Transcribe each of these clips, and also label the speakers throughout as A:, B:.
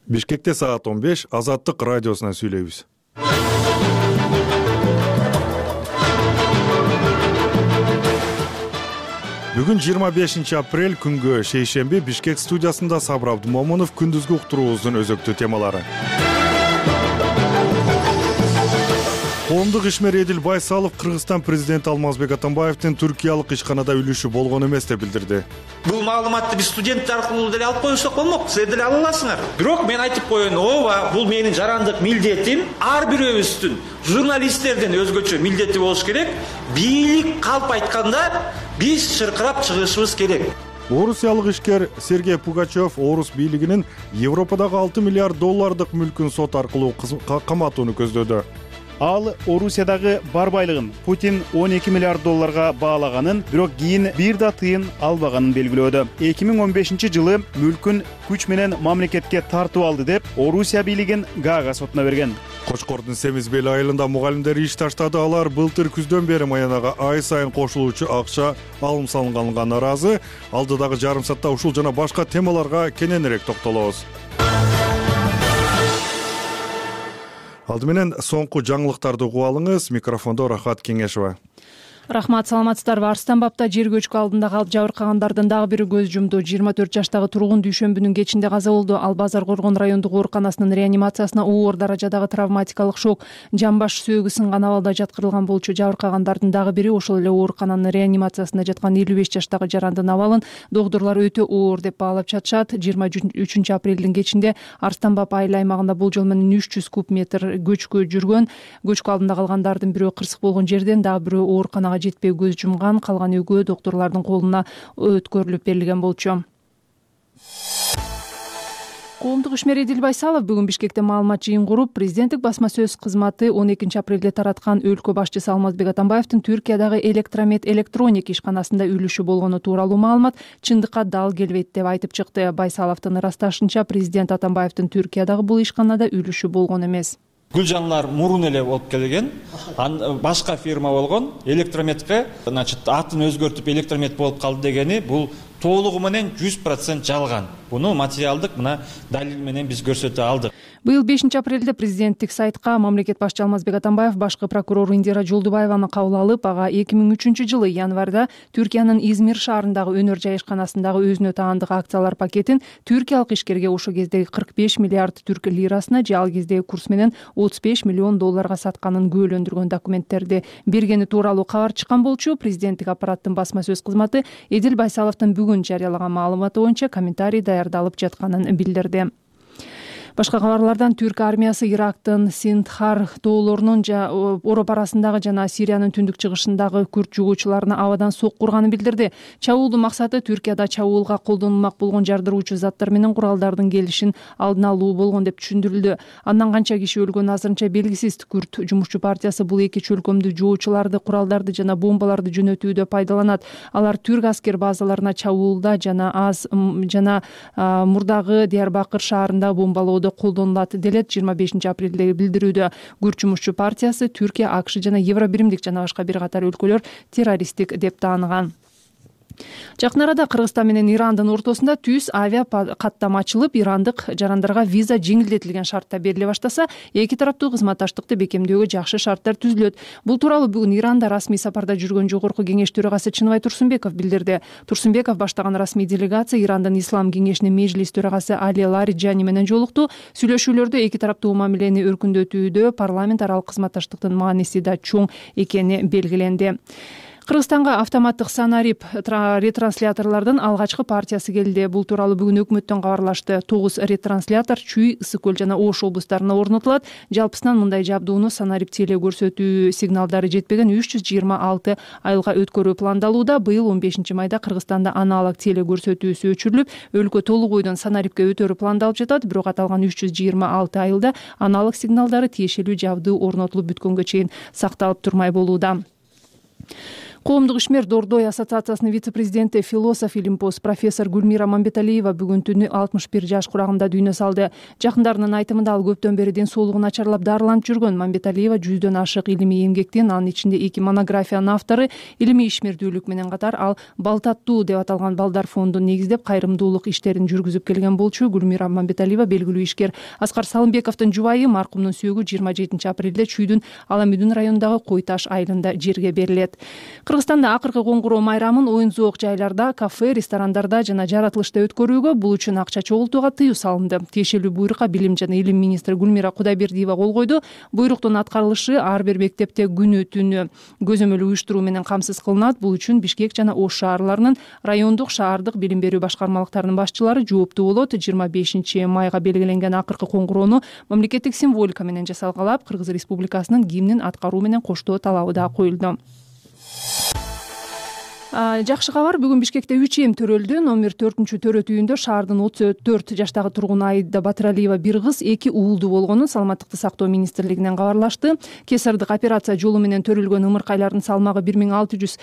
A: Бишкекте саат 15 Азаттык радиосунан сүйлөйбүз. Бүгүн 25 апрель күнгө шейшемби Бишкек студиясында Сабыр Абдумомунов күндүзгү уктуруубуздун өзөктүү темалары. Коомдук ишмер Эдил Байсалов Кыргызстан президенти Алмазбек Атамбаевдин Түркиялык ишканада үлүшү болгон эмес деп билдирди.
B: Бул маалыматты биз студенттер аркылуу деле алып коюшсак болмок, силер деле ала аласыңар. Бирок мен айтып коеюн, ооба, бул менин жарандык милдетим. Ар бирөөбүздүн журналисттерден өзгөчө милдети болуш керек. Бийлик калп айтканда биз чыркырап чыгышыбыз керек.
A: Орусиялык ишкер Сергей Пугачев Орус бийлигинин Европадагы $6 миллиард мүлкүн сот аркылуу каматууну көздөдү.
C: Ал Орусиядагы бар байлыгын Путин $12 миллиард баалаганын, бирок кийин бир да тыйын албаганын белгилөөдү. 2015 жылы мүлкүн күч менен мамлекетке тартып алды деп Орусия бийлигин Гаага сотуна берген.
A: Кочкордун Семизбел айылында мугалимдер иш таштады. Алар былтыр күздөн бери маянага ай сайын кошулуучу акча алым салынганга нааразы. Алдыдагы жарым саатта ушул жана башка темаларга кененирээк токтолобуз. Алды менен соңку жаңылыктарды угуп алыңыз. Микрофондо Рахат Кеңешова.
D: Рахмат, саламатсыздарбы? Арыстан бабта жер көчкү алдында калып жабыркагандардын дагы бири көз жумду. 24 жаштагы тургун дүйшөмбүнүн кечинде каза болду. Ал Базар Коргон райондук ооруканасынын реанимациясына оор даражадагы травматикалык шок, жамбаш сөөгү сынган абалда жаткырылган болчу. Жабыркагандардын дагы бири ошол эле оорукананын реанимациясында жаткан 55 жаштагы жарандын абалын доктурлар өтө оор деп баалап жатышат. 23 апрелдин кечинде Арыстан баб айыл аймагында болжол менен 300 куб метр көчкү жүргөн. Көчкү алдында калгандардын бирөө кырсык болгон жерден, дагы бирөө ооруканага жетпей көз жумган. Калган үйгө доктурлардын колуна өткөрүлүп берилген болчу. Коомдук ишмер Эдил Байсалов бүгүн Бишкекте маалымат жыйын куруп, президенттик басма сөз кызматы 12 апрелде тараткан өлкө башчысы Алмазбек Атамбаевдин Түркиядагы Электромет электроник ишканасында үлүшү болгону тууралуу маалымат чындыкка дал келбейт деп айтып чыкты. Байсаловдун ырасташынча, президент Атамбаевдин Түркиядагы бул ишканада үлүшү болгон эмес.
B: Гүлжанлар мурун эле болуп келген, башка фирма болгон, электрометке, атын өзгөртүп электромет болуп калды дегени бул толугу менен 100% жалган. Буну материалдык мына далил менен биз көрсөтө алдык.
D: Быйыл 5 апрелде президенттик сайтка мамлекет башчы Алмазбек Атамбаев башкы прокурор Индира Жолдубаеваны кабыл алып, ага 2003 жылы январда Түркиянын Измир шаарындагы өнөр жай ишканасындагы өзүнө таандык акциялар пакетин түркиялык ишкерге ошол кездеги 45 миллиард түрк лирасына же ал кездеги курс менен $35 миллион сатканын күбөлөндүргөн документтерди бергени тууралуу кабар чыккан болчу. Президенттик аппараттын басма сөз кызматы Эдил Байсаловдун бүгүн жарыялаган маалыматы боюнча комментарий даярдалып жатканын билдирди. Башка кабарлардан Түрк армиясы Ирактын Синдхар тоолорунун Ороп арасындагы жана Сириянын түндүк чыгышындагы күрт жугуучуларына абадан сокку урганын билдирди. Чабуулдун максаты Түркияда чабуулга колдонулмак болгон жардыруучу заттар менен куралдардын келишин алдын алуу болгон деп түшүндүрүлдү. Андан канча киши өлгөнү азырынча белгисиз. Күрт жумушчу партиясы бул эки чөлкөмдү жугуучуларды, куралдарды жана бомбаларды жөнөтүүдө пайдаланат. Алар түрк аскер базаларына чабуулда жана мурдагы Диярбакыр шаарында бомбалоодо колдонулат делет 25 апрелдеги билдирүүдө. Күрт жумушчу партиясы Түркия, АКШ жана Евробиримдик жана башка бир катар өлкөлөр террористтик деп тааныган. Жакын арада Кыргызстан менен Ирандын ортосунда түз авиа каттама ачылып, ирандык жарандарга виза жеңилдетилген шартта бериле баштаса, эки тараптуу кызматташтыкты бекемдөөгө жакшы шарттар түзүлөт. Бул тууралуу бүгүн Иранда расмий сапарда жүргөн Жогорку кеңеш төрагасы Чыныбай Турсунбеков билдирди. Турсунбеков баштаган расмий делегация Ирандын Ислам кеңешинин межлис төрагасы Али Лариджани менен жолукту. Сүйлөшүүлөрдө эки тараптуу мамилени өркүндөтүүдө парламент аралык кызматташтыктын мааниси да чоң экени белгиленди. Кыргызстанга автоматтык санарип ретрансляторлордун алгачкы партиясы келди. Бул тууралуу бүгүн өкмөттөн кабарлашты. 9 ретранслятор Чүй, Ысык Көл жана Ош облустарына орнотулат. Жалпысынан мындай жабдууну санарип теле көрсөтүү сигналдары жетпеген 326 айылга өткөрүү пландалууда. Быйыл 15 майда Кыргызстанда аналог теле көрсөтүүсү өчүрүлүп, өлкө толук бойдон санарипке өтөрү пландалып жатат. Бирок аталган 326 айылда аналог сигналдары тиешелүү жабдуу орнотулуп бүткөнгө чейин сакталып турмай болууда. Коомдук ишмер Дордой ассоциациясынын вице-президенти, философ, илимпоз профессор Гүлмира Мамбеталиева бүгүн түнү 61 жаш курагында дүйнө салды. Жакындарынын айтымында ал көптөн бери ден соолугу начарлап дарыланып жүргөн. Мамбеталиева 100дөн ашык илимий эмгектин, анын ичинде 2 монографиянын автору. Илимий ишмердүүлүк менен катар ал Балтаттуу деп аталган балдар фондун негиздеп, кайрымдуулук иштерин жүргүзүп келген болчу. Гүлмира Мамбеталиева белгилүү ишкер Аскар Салымбековдун жубайы. Маркумдун сөөгү 27 апрелде Чүйдүн Аламүдүн районундагы Кой Таш айылында жерге берилет. Кыргызстанда акыркы коңгуроо майрамын оюн-зоок жайларда, кафе, ресторандарда жана жаратылышта өткөрүүгө, бул үчүн акча чогултууга тыюу салынды. Тиешелүү буйрукка Билим жана Илим министри Гүлмира Кудайбердиева кол койду. Буйруктун аткарылышы ар бир мектепте күнү-түнү көзөмөл уюштуруу менен камсыз кылынат. Бул үчүн Бишкек жана Ош шаарларынын райондук, шаардык билим берүү башкармалыктарынын башчылары жооптуу болот. 25 майга белгиленген акыркы коңгуроону мамлекеттик символика менен жасалгалап, Кыргыз Республикасынын гимнин аткаруу менен коштоо талабы да коюлду. Жакшы кабар, бүгүн Бишкекте 3М төрөлдү. Номер 4-төрөт үйүндө шаардын 34 жаштагы тургуну Аида Батыралиева бир кыз, 2 уулду болгонун Саламаттыкты сактоо министрлигинен кабарлашты. Кесардык операция жолу менен төрөлгөн ымыркайлардын салмагы 1600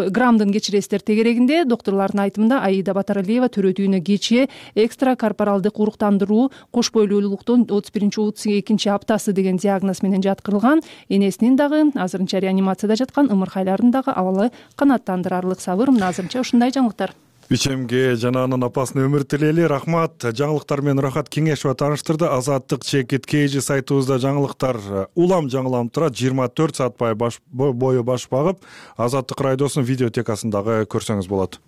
D: граммдын кечиресиздер тегерегинде. Докторлордун айтымында Аида Батыралиева төрөт үйүнө кечээ экстра корпоралдык уруктандыруу кош бойлуулуктун 31-32 аптасы деген диагноз менен жаткырылган. Энесинин дагы азырынча реанимацияда жаткан, ымыркайлардын дагы абалы канааттандырарлык. Сабыр, мына азырынча ушундай жаңылыктар.
A: Ичемге жана анын апасына өмүр тилейли. Рахмат. Жаңылыктар менен Рахат Кеңешова тааныштырды. Азаттык чекит KG сайтыбызда жаңылыктар улам жаңыланып турат. 24 саат бою баш багып, Азаттык радиосунун видеотекасындагы көрсөңүз болот.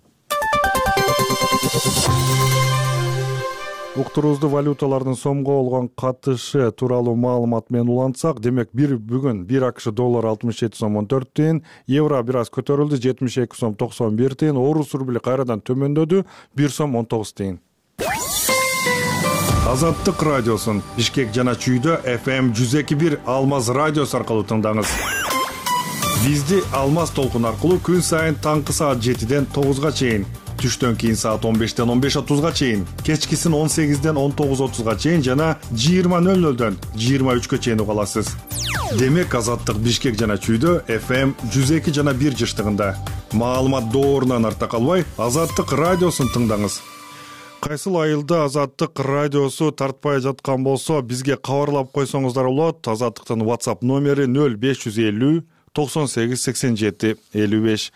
A: Уктуруубузду валюталардын сомго болгон катышы тууралуу маалымат менен улантсак, демек бүгүн 1 АКШ доллар 67 сом 14 тыйын, евро бир аз көтөрүлдү 72 сом 91 тыйын, орус рубли кайрадан төмөндөдү 1 сом 19 тыйын. Азаттык радиосун Бишкек жана Чүйдө FM 102.1 Алмаз радиосу аркылуу тыңдаңыз. Бизди Алмаз толкун аркылуу күн сайын таңкы саат 7ден 9га чейин, түштөн кийин саат 15ден 15:30га чейин, кечкисин 18ден 19:30га чейин жана 20:00дөн 23гө чейин угаласыз. Демек Азаттык Бишкек жана Чүйдө FM 102 жана 1 жыштыгында. Маалымат доорунан арта калбай, Азаттык радиосун тыңдаңыз. Кайсыл айылда Азаттык радиосу тартпай жаткан болсо, бизге кабарлап койсоңуздар болот. Азаттыктын WhatsApp номери 0550 98 87 55.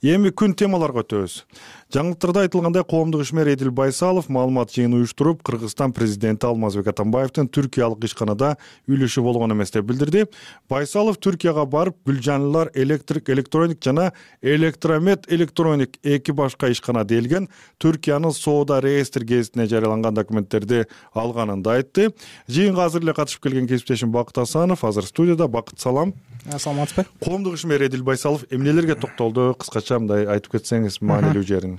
A: Эми күн темаларга өтөбүз. Жаңылыктарда айтылгандай, коомдук ишмер Эдил Байсалов маалымат жыйыны уюштуруп, Кыргызстан президенти Алмазбек Атамбаевдин Түркиялык ишканада үлүшү болгон эмес деп билдирди. Байсалов Түркияга барып, Гүлжанлылар электроник жана Электромет электроник 2 башка ишкана делген Түркиянын соода реестр гезитине жарыяланган документтерди алганын да айтты. Жыйынга азыр эле катышып келген кесиптешим Бакыт Асанов азыр студияда. Бакыт, салам.
E: Саламатсызбы?
A: Коомдук ишмер Эдил Байсалов эмнелерге токтолду? Кыскача мындай айтып кетсеңиз маанилүү жерин.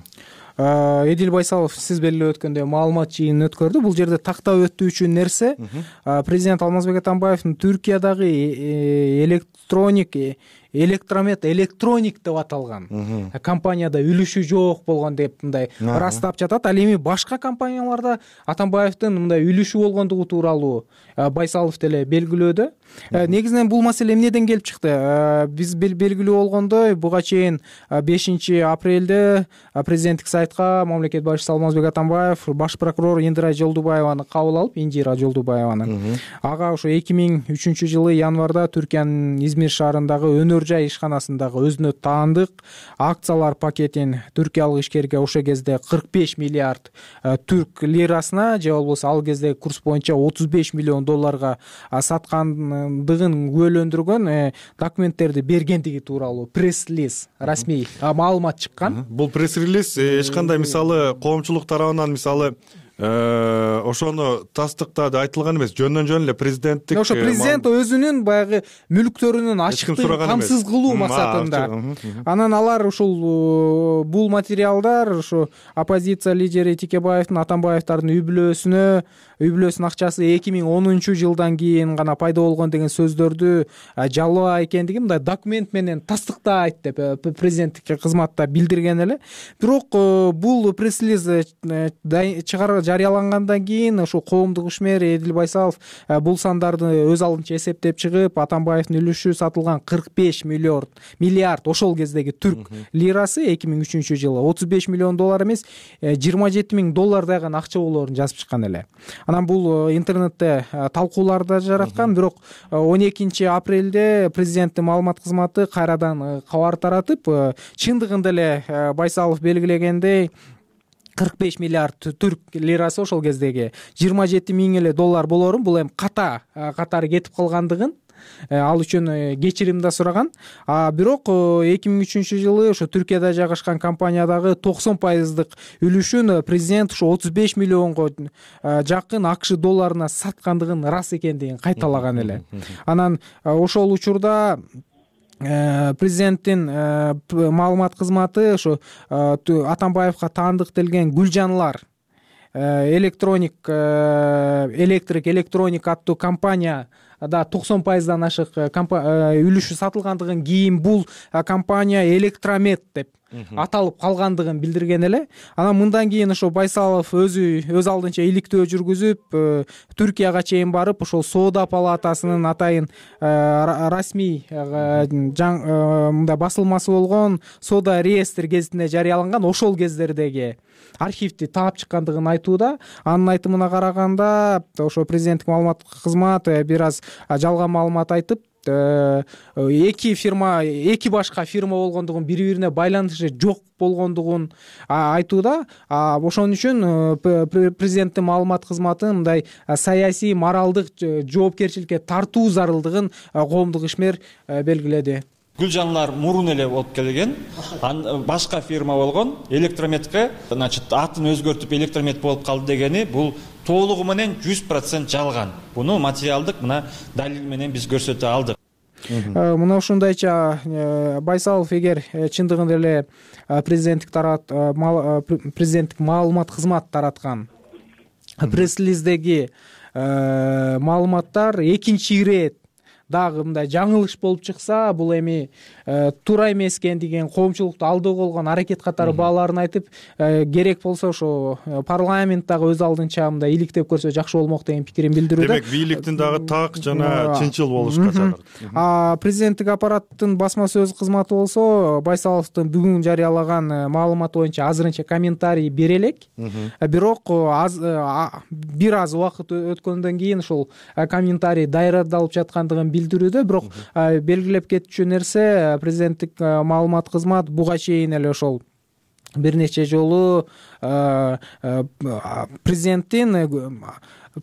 E: Эдил Байсалов сиз белгилеп өткөндөй маалымат жыйынын өткөрдү. Бул жерде тактап өтүүчү нерсе президент Алмазбек Атамбаевдин Түркиядагы Электромет электроник деп аталган компанияда үлүшү жок болгон деп мындай ырастап жатат. Ал эми башка компанияларда Атамбаевдин мындай үлүшү болгондугу тууралуу Байсалов деле белгилөөдө. Негизинен бул маселе эмнеден келип чыкты? Биз белгилүү болгондой, буга чейин 5 апрелде президенттик сайтка мамлекет башчысы Алмазбек Атамбаев баш прокурор Индира Жолдубаеваны кабыл алып, ага ошо 2003 жылы январда Түркиянын Измир шаарындагы өнөр жай ишканасындагы өзүнө таандык акциялар пакетин түркиялык ишкерге ошо кезде 45 миллиард түрк лирасына, же болбосо ал кезде курс боюнча 35 миллион долларга саткандыгын күбөлөндүргөн документтерди бергендиги тууралуу пресс-релиз, расмий маалымат чыккан.
A: Бул пресс-релиз эч кандай мисалы коомчулук тарабынан мисалы ошону тастыктады айтылган эмес, жөндөн эле президенттик
E: ошо президент өзүнүн баягы мүлктөрүнүн ачыктыгын камсыз кылуу максатында. Анан алар ушул бул материалдар ошо оппозиция лидери Тикебаевдин Атамбаевдардын үй-бүлөсүнүн акчасы 2010 жылдан кийин гана пайда болгон деген сөздөрдү жалоо экендиги мындай документ менен тастыктайт деп президенттик кызматта билдирген эле. Бирок бул пресс-релиз жарыялангандан кийин ушул коомдук ишмер Эдил Байсалов бул сандарды өз алдынча эсептеп чыгып, Атамбаевдин үлүшү сатылган 45 миллиард ошол кездеги түрк лирасы 2003 жылы 35 миллион доллар эмес, 27 000 доллар дагы акча болоорун жазып чыккан эле. Анан бул интернетте талкуулар да жараткан, бирок 12 апрелде президенттин маалымат кызматы кайрадан кабар таратып, чындыгында эле Байсалов белгилегендей 45 миллиард түрк лирасы ошол кездеги 27 000 эле доллар болоорун, бул эми катары кетип калгандыгын, ал үчүн кечирим да сураган. Бирок 2003 жылы ошо Түркияда жайгашкан компаниядагы 90% үлүшүн президент ошо 35 миллионго жакын АКШ долларына саткандыгын рас экендигин кайталаган эле. Анан ошол учурда президенттин маалымат кызматы ошо Атамбаевга таандыктелген Гүлжанлар электрик электроник аттуу компания да 90%дан ашык үлүшү сатылгандыгын, кийин бул компания Электромет деп аталып калгандыгын билдирген эле. Анан мындан кийин ошо Байсалов өз алдынча иликтөө жүргүзүп, Түркияга чейин барып, ошол Соода палатасынын атайын расмий мындай басылмасы болгон Соода реестр гезитине жарыяланган ошол кездердеги архивди таап чыккандыгын айтууда. Анын айтымына караганда, ошо президенттик маалымат кызматы бир аз жалган маалымат айтып, эки башка фирма болгондугун, бири-бирине байланышы жок болгондугун айтууда. Ошон үчүн президенттин маалымат кызматы мындай саясий, моралдык жоопкерчиликке тартуу зарылдыгын коомдук ишмер белгиледи.
B: Гүлжанлар мурун эле болуп келген, башка фирма болгон, Электрометке, значит, атын өзгөртүп Электромет болуп калды дегени бул толугу менен 100% жалган. Буну материалдык мына далил менен биз көрсөтө алдык.
E: Мына ушундайча Байсалов эгер чындыгында эле президенттик маалымат кызмат тараткан пресс-релиздеги маалыматтар экинчи ирет дагы мындай жаңылыш болуп чыкса, бул эми туура эмес экендигин, коомчулукту алдоо болгон аракет катары бааларын айтып, керек болсо ошо парламент дагы өз алдынча мындай иликтеп көрсө жакшы болмок деген пикирин билдирүүдө.
A: Демек, бийликтин дагы так жана чынчыл болушка чакырат.
E: Президенттик аппараттын басма сөз кызматы болсо Байсаловдун бүгүн жарыялаган маалыматы боюнча азырынча комментарий бере элек. Бирок бир аз убакыт өткөндөн кийин ушул комментарий даярдалып жаткандыгын билдирүүдө. Бирок белгилеп кетчү нерсе, президенттик маалымат кызмат буга чейин эле ошол бир нече жолу президенттин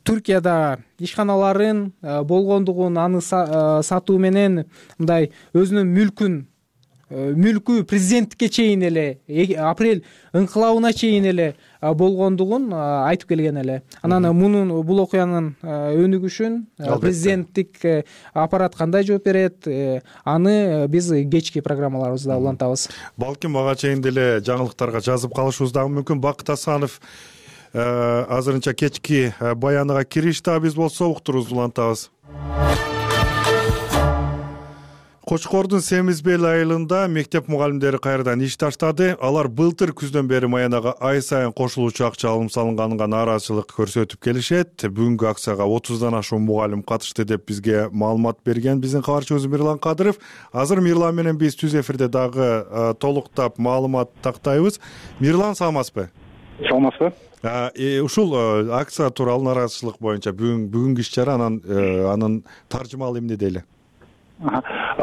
E: Түркияда ишканаларын болгондугун, аны сатуу менен мындай өзүнүн мүлкү президенттикке чейин эле, апрель ыңкылабына чейин эле болгондугун айтып келген эле. Анан бул окуянын өнүгүшүн президенттик аппарат кандай жооп берет, аны биз кечки программаларыбызда улантабыз.
A: Балким ага чейин деле жаңылыктарга жазып калышыбыз дагы мүмкүн. Бакыт Асанов азырынча кечки баяныга киришти, биз болсо уктурубузду улантабыз. Кочкордун Семизбел айылында мектеп мугалимдери кайрадан иш таштады. Алар былтыр күздөн бери маянага ай сайын кошулуучу акча алым салынганына нааразычылык көрсөтүп келишет. Бүгүнкү акцияга 30дан ашуун мугалим катышты деп бизге маалымат берген биздин кабарчыбыз Мирлан Кадыров. Азыр Мирлан менен биз түз эфирде дагы толуктап маалымат тактайбыз. Мирлан, саламатсызбы?
F: Саламатсызбы?
A: Ушул акция тууралуу нааразычылык боюнча бүгүнкү иш-чара, анын таржымалы эмне дейли?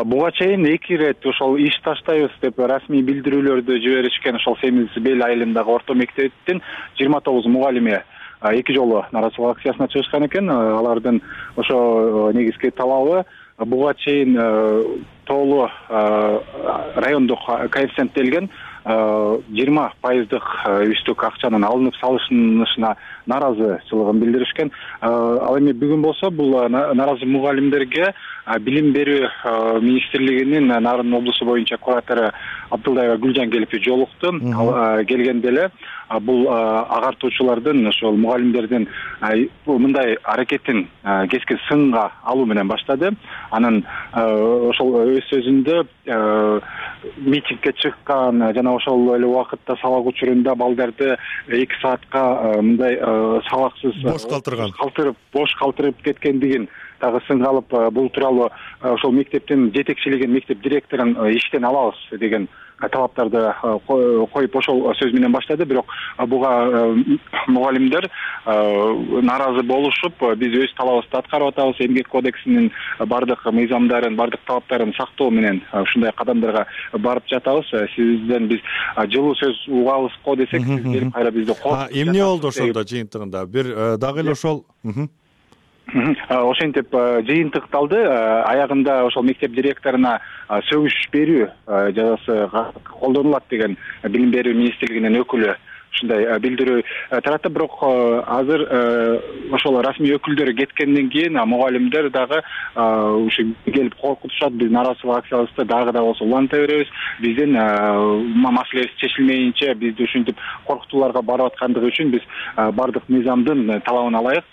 F: Буга чейин 2 ирет ошол иш таштайбыз деп расмий билдирүүлөрдү жиберишкен. Ошол Семизбел айылындагы орто мектептин 29 мугалими 2 жолу нааразычылык акциясына чыгышкан экен. Алардын ошо негизги талабы буга чейин тоолуу райондук коэффициенттелген 20% үстүк акчанын алынып салышына нааразычылыгын билдиришкен. Ал эми бүгүн болсо бул нааразы мугалимдерге Билим берүү министрлигинин Нарын облусу боюнча куратору Абдылдаева Гүлжан келип жолукту. Келгенде эле бул агартуучулардын ошол мугалимдердин мындай аракетин кескен сынга алуу менен баштады. Анан ошол өз сөзүндө митингге чыккан жана ошол эле убакытта сабак учурунда балдарды 2 саатка мындай сабаксыз бош калтырып кеткендигин дагы сынга алып, бул тууралуу ошол мектептин жетекчилигин, мектеп директорун иштен алабыз деген талаптарды коюп ошол сөз менен баштады. Бирок буга мугалимдер нааразы болушуп, биз өз талабыбызды аткарып атабыз, эмгек кодексинин бардык мыйзамдарын, бардык талаптарын сактоо менен ушундай кадамдарга барып жатабыз. Сизден биз жылуу сөз угабыз го десек, сиз келип кайра бизди коркутуп
A: эмне болду ошондо жыйынтыгында? Бир дагы эле ошол
F: ошентип жыйынтыкталды. Аягында ошол мектеп директоруна сөгүш берүү жазасы колдонулат деген билим берүү министрлигинин өкүлү ушундай билдирүү таратты. Бирок азыр ошол расмий өкүлдөр кеткенден кийин мугалимдер дагы ушу келип коркутушат. Биз нааразычылык акциябызды дагы да болсо уланта беребиз. Биздин маселебиз чечилмейинче, бизди ушинтип коркутууларга барып аткандыгы үчүн биз бардык мыйзамдын талабына ылайык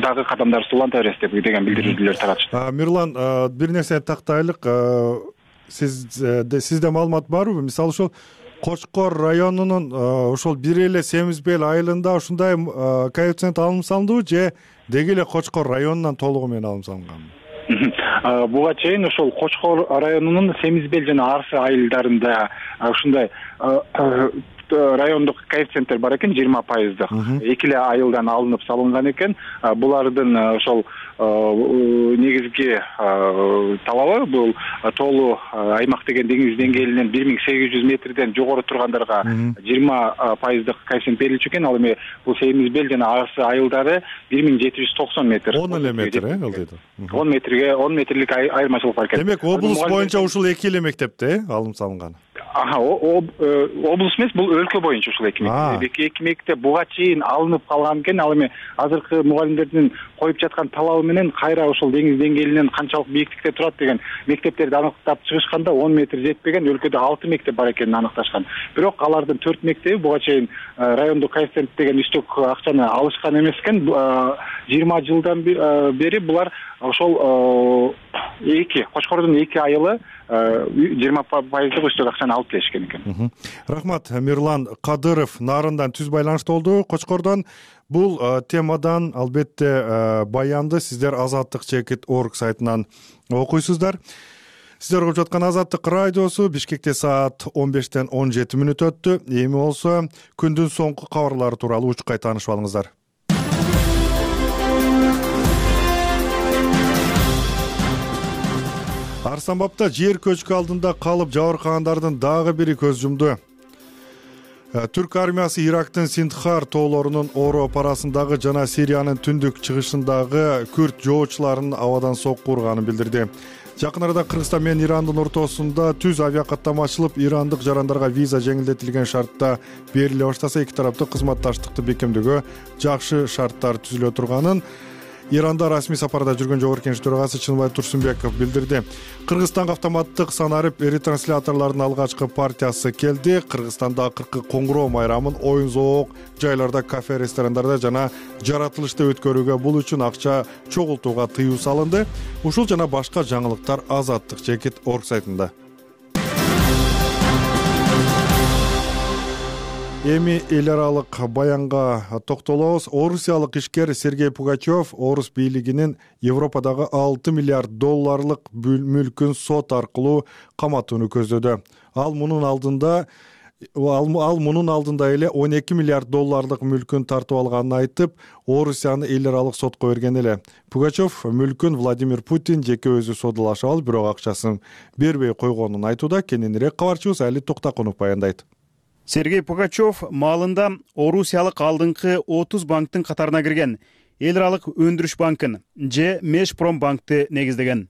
F: дагы кадамдарыбызды уланта беребиз деген билдирүүлөр таратышты.
A: Мирлан, бир нерсени тактайлык. Сизде маалымат барбы? Мисалы ошол Кочкор районунун ошол бир эле Семизбел айылында ушундай коэффициент алым салындыбы же деги эле Кочкор районунан толугу менен алым салынганбы?
F: Буга чейин ошол Кочкор районунун Семизбел жана Арсы айылдарында ушундай райондук коэффициенттер бар экен, 20%. Эки эле айылдан алынып салынган экен. Булардын ошол негизги талабы бул толуу аймак деген деңиз деңгээлинен 1800 метрден жогору тургандарга 20% коэффициент берилчү экен. Ал эми бул Семизбел жана Арсы айылдары 1790 метр.
A: 10 эле метр, алдыйда.
F: 10 метрлик айырмачылык бар экен.
A: Демек облус боюнча ушул эки эле мектепте алым салынган.
F: Облус эмес, бул өлкө боюнча ушул эки мектеп буга чейин алынып калган экен. Ал эми азыркы мугалимдердин коюп жаткан талабы менен кайра ошол деңиз деңгээлинен канчалык бийиктикте турат деген мектептерди аныктап чыгышканда 10 метр жетпеген, өлкөдө 6 мектеп бар экенин аныкташкан. Бирок алардын 4 мектеби буга чейин райондук коэффициент деген үстөк акчаны алышкан эмес экен. 20 жылдан бери булар ошол Кочкордун эки айылы 20% үстөк акчаны алып келишкен экен.
A: Рахмат. Мирлан Кадыров Нарындан түз байланышта болду, Кочкордон. Бул темадан албетте баянды сиздер Азаттык.org сайтынан окуйсуздар. Сиздер угуп жаткан Азаттык радиосу. Бишкекте саат 15-тен 17 мүнөт өттү. Эми болсо күндүн соңку кабарлары тууралуу учкай таанышып алыңыздар. Арсанбапта жер көчкү алдында калып жабыркагандардын дагы бири көз жумду. Түрк армиясы Ирактын Синдхар тоолорунун Ороп арасындагы жана Сириянын түндүк чыгышындагы күрд жоочуларын абадан сокку урганын билдирди. Жакын арада Кыргызстан менен Ирандын ортосунда түз авиакаттама ачылып, ирандык жарандарга виза жеңилдетилген шартта бериле баштаса, эки тараптуу кызматташтыкты бекемдөөгө жакшы шарттар түзүлө турганын Иранда расмий сапарда жүргөн Жогорку Кеңеш төрагасы Чынбай Турсунбеков билдирди. Кыргызстанга автоматтык санарып ретрансляторлордун алгачкы партиясы келди. Кыргызстанда акыркы коңгуроо майрамын оюн-зоок жайларда, кафе, ресторандарда жана жаратылышта өткөрүүгө, бул үчүн акча чогултууга тыюу салынды. Ушул жана башка жаңылыктар Азаттык.org сайтында. Эми эл аралык баянга токтолобуз. Орусиялык ишкер Сергей Пугачев Орус бийлигинин Европадагы 6 миллиард долларлык мүлкүн сот аркылуу каматууну көздөдү. Ал мунун алдында эле 12 миллиард долларлык мүлкүн тартып алганын айтып, Орусияны эл аралык сотко берген эле. Пугачев мүлкүн Владимир Путин жеке өзү содулашып алып, бирок акчасын бербей койгонун айтууда. Кененирээк кабарчыбыз Али Токтакунов баяндайт.
C: Сергей Пугачев маалында Орусиялык алдыңкы 30 банктын катарына кирген. Эл аралык өндүрүш банкын же Межпромбанкты негиздеген.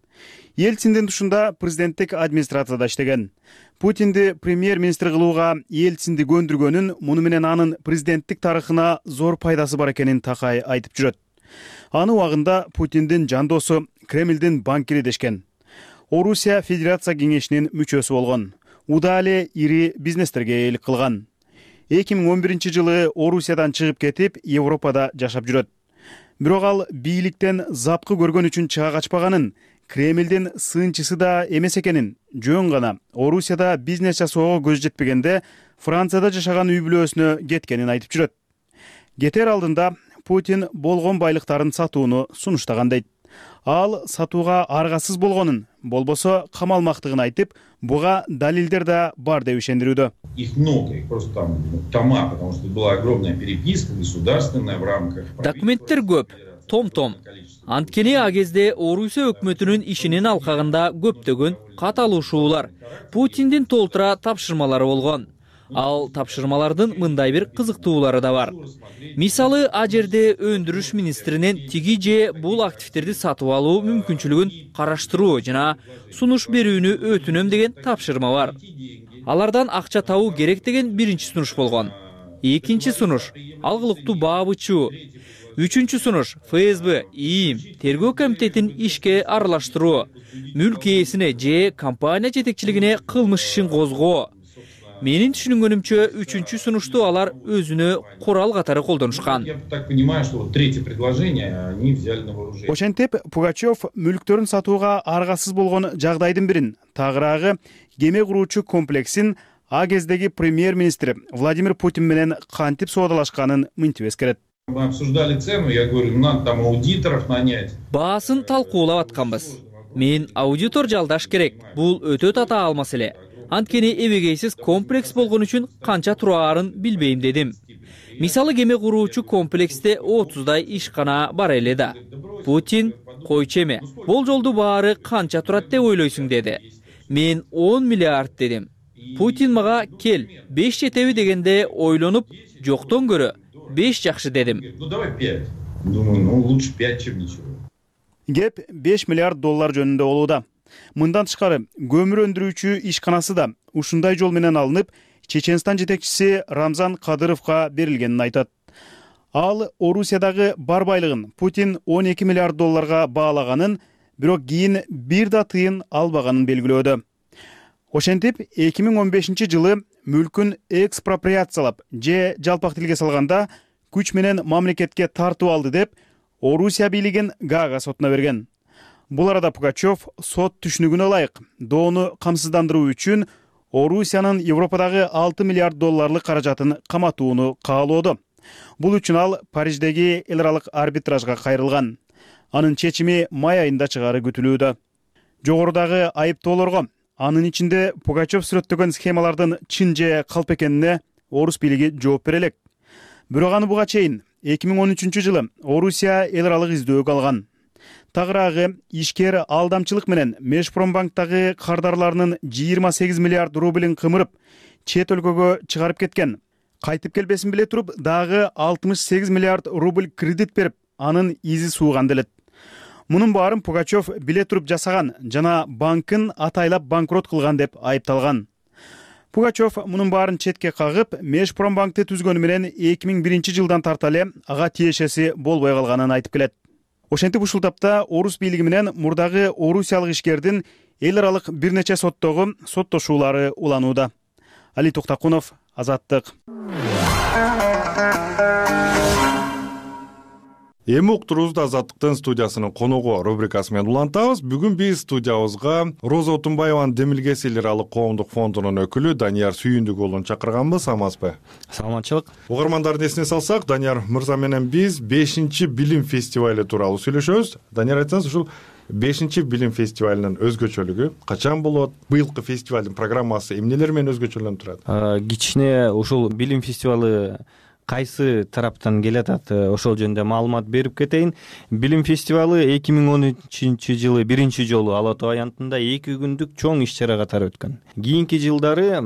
C: Ельциндин тушунда президенттик администрацияда иштеген. Путинди премьер-министр кылууга Ельцинди көндүргөнүн, муну менен анын президенттик тарыхына зор пайдасы бар экенин Такай айтып жүрөт. Аны убагында Путиндин жандосу Кремлдин банкири дешкен. Орусия Федерация кеңешинин мүчөсү болгон. Уда эле ири бизнестерге ээлик кылган. 2011-жылы Орусиядан чыгып кетип, Европада жашап жүрөт. Бирок ал бийликтен запкы көргөн үчүн чыга качпаганын, Кремлдин сынчысы да эмес экенин, жөн гана Орусияда бизнес жасоого көз жетпегенде Францияда жашаган үй бүлөсүнө кеткенин айтып жүрөт. Кетер алдында Путин болгон байлыктарын сатууну сунуштаган дейт. Ал сатууга аргасыз болгонун, болбосо камалмактыгын айтып, буга далилдер да бар деп ишендирүүдө.
G: Их много, их просто там тома, потому что была огромная переписка государственная в рамках.
H: Документтер көп, том. Анткени а кезде Орусия өкмөтүнүн ишинин алкагында көптөгөн каталышуулар, Путиндин толтура тапшырмалары болгон. Ал тапшырмалардын мындай бир кызыктуулары да бар. Мисалы, а жерде өндүрүш министринин тиги же бул активдерди сатып алуу мүмкүнчүлүгүн караштыруу жана сунуш берүүнү өтүнөм деген тапшырма бар. Алардан акча табуу керек деген биринчи сунуш болгон. Экинчи сунуш алгылыктуу баабычуу. Үчүнчү сунуш ФСБ, ИИМ, тергөө комитетин ишке аралаштыруу, мүлк ээсине же компания жетекчилигине кылмыш ишин козгоо. Менин түшүнгөнүмчө, үчүнчү сунушту алар өзүнө курал катары колдонушкан.
G: Я так понимаю, что вот третье предложение они взяли на вооружение.
C: Ошентип, Пугачев мүлктөрүн сатууга аргасыз болгон жагдайдын бирин, тагыраагы кеме куруучу комплексин а кездеги премьер-министр Владимир Путин менен кантип соодалашканын мынтип эскерет.
G: Мы обсуждали цену, я говорю, надо там аудиторов нанять.
H: Баасын талкуулап атканбыз. Мен аудитор жалдаш керек. Бул өтө татаал маселе. Анткени эбегейсиз комплекс болгон үчүн канча тураарын билбейм дедим. Мисалы, кеме куруучу комплексте 30дай ишкана бар эле да. Путин койчу эме, бул жолду баары канча турат деп ойлойсуң деди. Мен 10 миллиард дедим. Путин мага кел, 5 жетеби дегенде ойлонуп, жоктон көрө 5 жакшы дедим.
G: Ну давай 5. Думаю, лучше 5, чем ничего.
C: Кеп 5 миллиард доллар жөнүндө болууда. Мындан тышкары, көмүр өндүрүүчү ишканасы да ушундай жол менен алынып, Чеченстан жетекчиси Рамзан Кадыровго берилгенин айтат. Ал Орусиядагы бар байлыгын Путин 12 миллиард долларга баалаганын, бирок кийин бир да тыйын албаганын белгилөөдө. Ошентип, 2015-жылы мүлкүн экспроприациялап же жалпак тилге салганда күч менен мамлекетке тартып алды деп Орусия бийлигин Гаага сотуна берген. Бул арада Пугачев сот түшүнүгүнө ылайык доону камсыздандыруу үчүн Орусиянын Европадагы 6 миллиард долларлык каражатын каматууну каалоодо. Бул үчүн ал Париждеги эл аралык арбитражга кайрылган. Анын чечими май айында чыгары күтүлүүдө. Жогорудагы айыптоолорго, анын ичинде Пугачев сүрөттөгөн схемалардын чын же калп экенине орус бийлиги жооп бере элек. Бирок аны буга чейин 2013-жылы Орусия эл аралык издөөгө алган. Тагыраагы ишкер алдамчылык менен Межпромбанктагы кардарларынын 28 миллиард рублин кымырып, чет өлкөгө чыгарып кеткен. Кайтып келбесин биле туруп, дагы 68 миллиард рубль кредит берип, анын изи сууган делет. Мунун баарын Пугачев биле туруп жасаган жана банкын атайлап банкрот кылган деп айыпталган. Пугачев мунун баарын четке кагып, Межпромбанкты түзгөнү менен 2001-жылдан тарталы ага тиешеси болбой калганын айтып келет. Ошентип ушул тапта орус бийлиги менен мурдагы орусиялык ишкердин эл аралык бир нече соттогу соттошуулары уланууда. Али Токтакунов, Азаттык.
A: Эми уктуруубузду Азаттыктын студиясынын коногу рубрикасы менен улантабыз. Бүгүн биз студиябызга Роза Отунбаеванын Демилгес эл аралык коомдук фондунун өкүлү Данияр Сүйүндүк уулун чакырганбыз. Саламатсызбы?
I: Саламатчылык.
A: Угармандардын эсине салсак, Данияр мырза менен биз 5-билим фестивалы тууралуу сүйлөшөбүз. Данияр, айтсаңыз, ушул 5-билим фестивалынын өзгөчөлүгү качан болот? Быйылкы фестивалдын программасы эмнелер менен өзгөчөлөнүп турат?
I: Кичине ушул билим фестивалы кайсы тараптан келатат, ошол жөнүндө маалымат берип кетейин. Билим фестивалы 2013-жылы биринчи жолу Ала Тоо аянтында 2 күндүк чоң иш-чара катары өткөн. Кийинки жылдары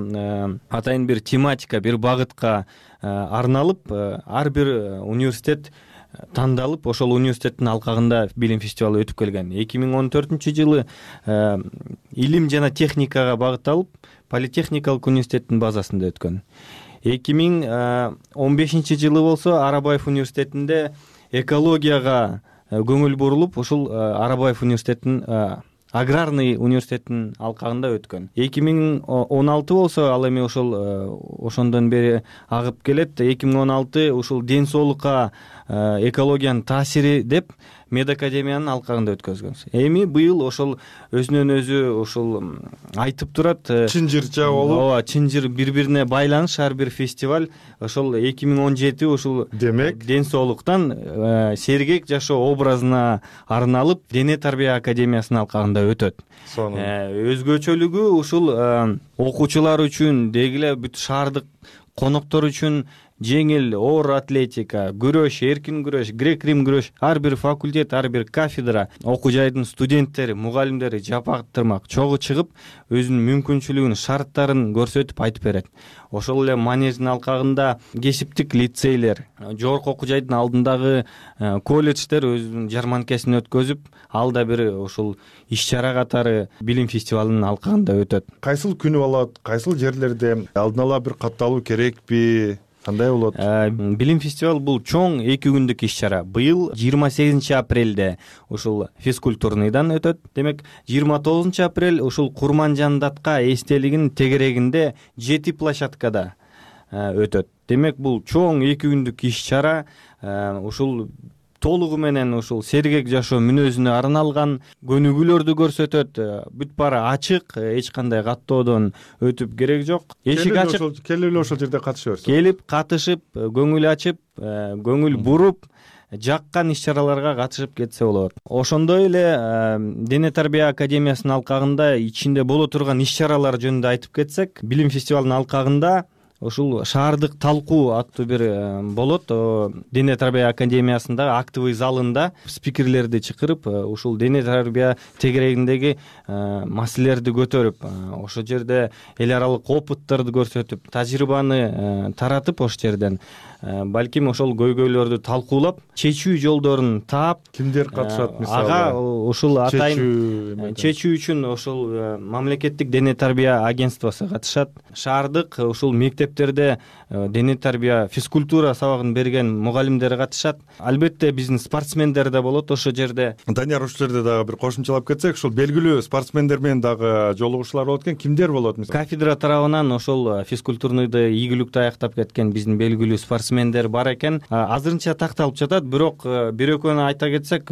I: атайын бир тематика, бир багытка арналып, ар бир университет тандалып, ошол университеттин алкагында билим фестивалы өтүп келген. 2014-жылы илим жана техникага багытталып, Политехникалык университеттин базасында өткөн. 2015-жылы болсо Арабаев университетинде экологияга көңүл бурулуп, ушул Арабаев университетинин аграрный университетинин алкагында өткөн. 2016 болсо ал эми ошондон бери агып келет. 2016 ушул ден соолукка экологиянын таасири деп медакадемиянын алкагында өткөзгөнбүз. Эми быйыл ошол өзүнөн өзү ушул айтып турат.
A: Чынжырча болуп.
I: Ооба, чынжыр бири-бирине байланыш ар бир фестиваль. Ошол 2017 ушул
A: демек
I: ден соолуктан сергек жашоо образына арналып Дене тарбия академиясынын алкагында өтөт. Өзгөчөлүгү ушул окуучулар үчүн деги эле бүт шаардык коноктор үчүн жеңил, оор атлетика, күрөш, эркин күрөш, грек-рим күрөш, ар бир факультет, ар бир кафедра, окуу жайдын студенттери, мугалимдери жапактырмак чогуу чыгып, өзүнүн мүмкүнчүлүгүн, шарттарын көрсөтүп айтып берет. Ошол эле манеждин алкагында кесиптик лицейлер, жогорку окуу жайдын алдындагы колледждер өзүнүн жарманкесин өткөзүп, ал да бир ушул иш-чара катары билим фестивалынын алкагында өтөт.
A: Кайсыл күнү болот, кайсыл жерлерде алдын ала бир катталуу керекпи? Кандай болот?
I: Билим фестивалы бул чоң 2 күндүк иш-чара. Быйыл 28 апрелде ушул физкультурныйдан өтөт. Демек 29 апрель ушул Курманжан датка эстелигинин тегерегинде 7 площадкада өтөт. Демек бул чоң 2 күндүк иш-чара ушул толугу менен ушул сергек жашоо мүнөзүнө арналган, көнүгүүлөрдү көрсөтөт. Бүт баары ачык, эч кандай каттоодон өтүп керек жок. Эшик ачык.
A: Келип эле ошол жерде катыша берсин.
I: Келип, катышып, көңүл ачып, көңүл буруп, жаккан иш-чараларга катышып кетсе болот. Ошондой эле Дене тарбия академиясынын алкагында ичинде боло турган иш-чаралар жөнүндө айтып кетсек, билим фестивалынын алкагында ушул шаардык талкуу аттуу бир болот. Дене тарбия академиясындагы актовый залында спикерлерди чакырып, ушул дене тарбия тегерегиндеги маселелерди көтөрүп, ошол жерде эл аралык опыттарды көрсөтүп, тажрыйбаны таратып, ошол жерден балким ошол көйгөйлөрдү талкуулап, чечүү жолдорун таап,
A: кимдер катышат мисалы?
I: Ага ушул атайын чечүү үчүн ошол мамлекеттик дене тарбия агентствосу катышат. Шаардык ушул мектептерде дене тарбия физкультура сабагын берген мугалимдер катышат. Албетте биздин спортсмендер да болот ошол жерде.
A: Данияр, ушул жерде дагы бир кошумчалап кетсек, ушул белгилүү спортсмендер менен дагы жолугушуулар болот экен. Кимдер болот мисалы?
I: Кафедра тарабынан ошол физкультурныйды ийгиликтүү аяктап кеткен биздин белгилүү спортсмендер бар экен. Азырынча такталып жатат, бирок бир экөөнү айта кетсек,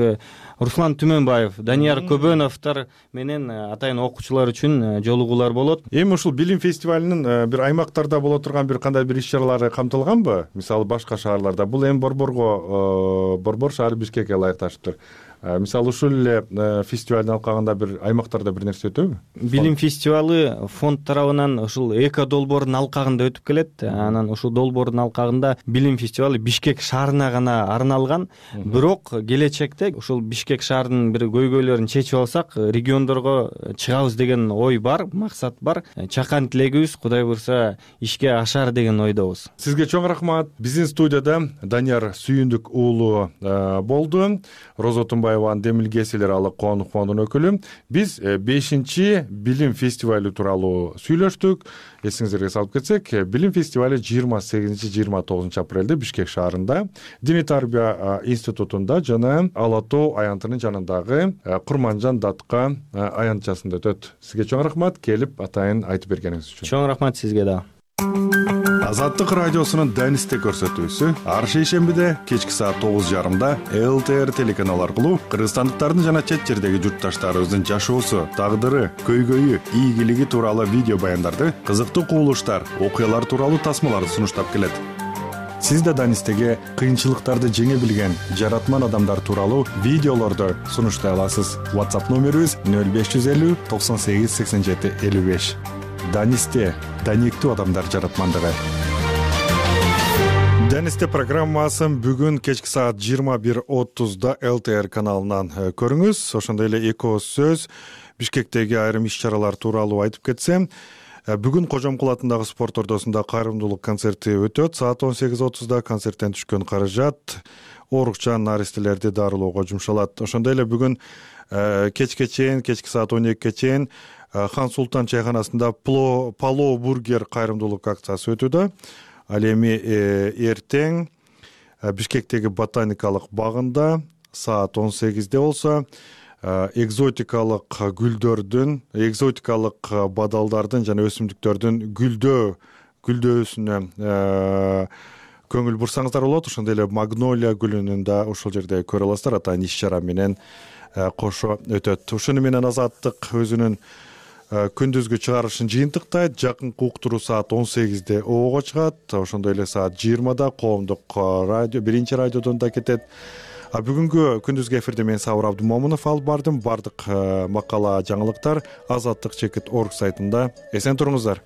I: Руслан Түмөнбаев, Данияр Көбөновдор менен атайын окуучулар үчүн жолугуулар болот.
A: Эми ушул билим фестивалынын бир аймактарда боло турган бир кандай бир иш-чаралары камтылганбы? Мисалы башка шаарларда. Бул эми Борбор шаары Бишкекке ылайыкташыптыр. Мисалы ушул эле фестивалдын алкагында бир аймактарда бир нерсе өтөбү?
I: Билим фестивалы фонд тарабынан ушул эко долбоордун алкагында өтүп келет. Анан ушул долбоордун алкагында билим фестивалы Бишкек шаарына гана арналган. Бирок келечекте ушул Бишкек шаарынын бир көйгөйлөрүн чечип алсак, региондорго чыгабыз деген ой бар, максат бар. Чакан тилегибиз Кудай буйрса ишке ашар деген ойдобуз.
A: Сизге чоң рахмат. Биздин студияда Данияр Сүйүндүк уулу болду. Роза Тумбаеванын демилгеси аралык коомдук фондунун өкүлү. Биз 5-чи билим фестивалы тууралуу сүйлөштүк. Эсиңиздерге салып кетсек, билим фестивалы 28-29 апрелде Бишкек шаарында Дене тарбия институтунда жана Ала Тоо аянтынын жанындагы Курманжан датка аянтчасында өтөт. Сизге чоң рахмат, келип атайын айтып бергениңиз үчүн.
I: Чоң рахмат сизге да.
A: Азаттык радиосунун Данисте көрсөтүүсү ар шейшембиде кечки саат 9:30 ЛТР телеканалы аркылуу кыргызстандыктардын жана чет жердеги журтташтарыбыздын жашоосу, тагдыры, көйгөйү, ийгилиги тууралуу видео баяндарды, кызыктуу кубулуштар, окуялар тууралуу тасмаларды сунуштап келет. Сиз да Данистеге кыйынчылыктарды жеңе билген жаратман адамдар тууралуу видеолорду сунуштай аласыз. WhatsApp номерибиз 0550 98 87 55. Данисте даниктүү адамдар жаратмандыгы. Данисте программасын бүгүн кечки саат 21:30 ЛТР каналынан көрүңүз. Ошондой эле эко сөз Бишкектеги айрым иш-чаралар тууралуу айтып кетсем, бүгүн Кожомкул атындагы спорт ордосунда кайрымдуулук концерти өтөт. Саат 18:30 концерттен түшкөн каражат оорукчан наристелерди дарылоого жумшалат. Ошондой эле бүгүн кечке чейин, кечки саат 12-ге чейин Хан Султан чайханасында Пало бургер кайрымдуулук акциясы өтүүдө. Ал эми эртең Бишкектеги ботаникалык багында саат 18-де болсо экзотикалык гүлдөрдүн, экзотикалык бадалдардын жана өсүмдүктөрдүн гүлдөөсүнө көңүл бурсаңыздар болот. Ошондой эле магнолия гүлүнүн да ушул жерде көрө аласыздар. Атайын иш чара менен кошо өтөт. Ошону менен Азаттык өзүнүн күндүзгү чыгарылышын жыйынтыктайт. Жакынкы уктуруу саат 18-де Оого чыгат. Ошондой эле саат 20-да коомдук радио, биринчи радиодон да кетет. Бүгүнкү күндүзгү эфирде мен Сабыр Абдумомунов алып бардым. Бардык макала, жаңылыктар Азаттык.org сайтында. Эсен туруңуздар.